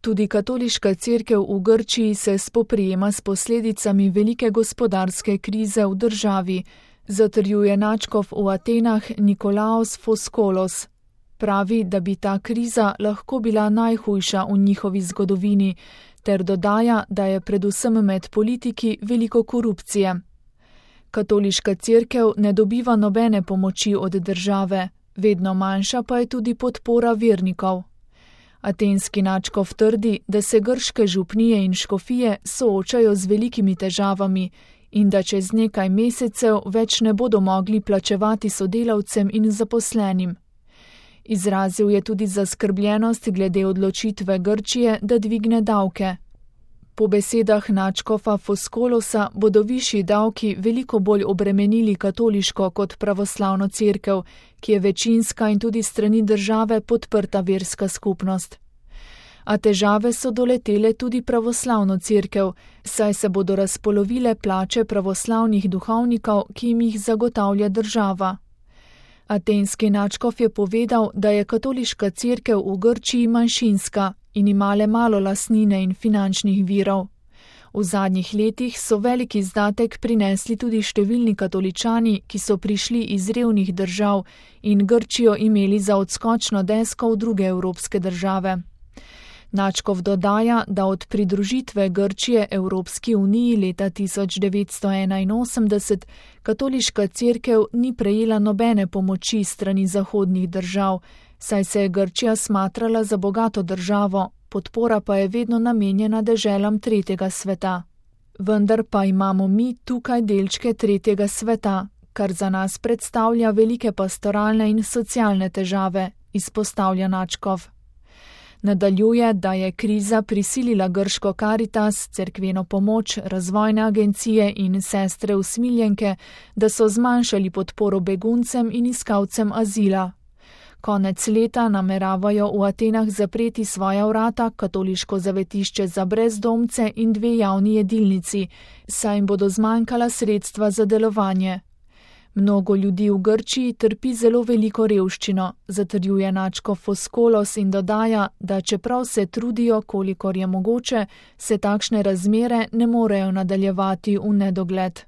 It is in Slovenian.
Tudi katoliška cerkev v Grčiji se spoprijema s posledicami velike gospodarske krize v državi, zatrjuje nadškof v Atenah Nikolaos Foskolos. Pravi, da bi ta kriza lahko bila najhujša v njihovi zgodovini, ter dodaja, da je predvsem med politiki veliko korupcije. Katoliška cerkev ne dobiva nobene pomoči od države, vedno manjša pa je tudi podpora vernikov. Atenski nadškof trdi, da se grške župnije in škofije soočajo z velikimi težavami in da čez nekaj mesecev več ne bodo mogli plačevati sodelavcem in zaposlenim. Izrazil je tudi zaskrbljenost glede odločitve Grčije, da dvigne davke. Po besedah nadškofa Foskolosa bodo višji davki veliko bolj obremenili katoliško kot pravoslavno cerkev, ki je večinska in tudi strani države podprta verska skupnost. A težave so doletele tudi pravoslavno cerkev, saj se bodo razpolovile plače pravoslavnih duhovnikov, ki jim jih zagotavlja država. Atenski nadškof je povedal, da je katoliška cerkev v Grčiji manjšinska in ima le malo lastnine in finančnih virov. V zadnjih letih so veliki izdatek prinesli tudi številni katoličani, ki so prišli iz revnih držav in Grčijo imeli za odskočno desko v druge evropske države. Nadškof dodaja, da od pridružitve Grčije Evropski uniji leta 1981 katoliška cerkev ni prejela nobene pomoči strani zahodnih držav, saj se je Grčija smatrala za bogato državo, podpora pa je vedno namenjena deželam tretjega sveta. Vendar pa imamo mi tukaj delčke tretjega sveta, kar za nas predstavlja velike pastoralne in socialne težave, izpostavlja nadškof. Nadaljuje, da je kriza prisilila grško Karitas, cerkveno pomoč, razvojne agencije in sestre usmiljenke, da so zmanjšali podporo beguncem in iskalcem azila. Konec leta nameravajo v Atenah zapreti svoja vrata, katoliško zavetišče za brezdomce in 2 javni jedilnici, saj jim bodo zmanjkala sredstva za delovanje. Mnogo ljudi v Grčiji trpi zelo veliko revščino, zatrjuje nadškof Foskolos in dodaja, da čeprav se trudijo, kolikor je mogoče, se takšne razmere ne morejo nadaljevati v nedogled.